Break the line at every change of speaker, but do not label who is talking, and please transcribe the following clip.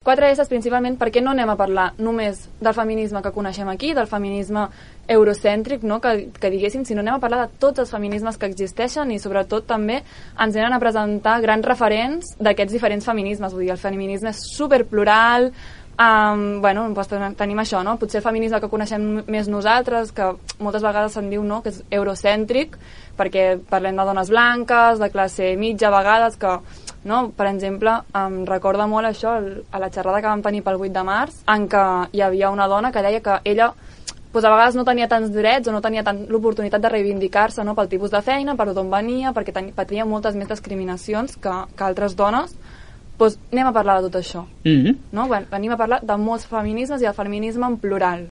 4 S's principalment perquè no anem a parlar només del feminisme que coneixem aquí, del feminisme eurocèntric, no? que diguéssim, sinó anem a parlar de tots els feminismes que existeixen i sobretot també ens venen a presentar grans referents d'aquests diferents feminismes. Vull dir, el feminisme és superplural, doncs tenim això, no? Potser el feminisme que coneixem més nosaltres, que moltes vegades se'n diu, no?, que és eurocèntric, perquè parlem de dones blanques, de classe mitja a vegades, que, no? Per exemple, em recorda molt això a la xerrada que vam tenir pel 8 de març, en què hi havia una dona que deia que ella doncs a vegades no tenia tants drets o no tenia tant l'oportunitat de reivindicar-se, no?, pel tipus de feina, per d'on venia, perquè patia moltes més discriminacions que altres dones. Doncs anem a parlar de tot això. No? Venim a parlar de molts feminismes i del feminisme en plural.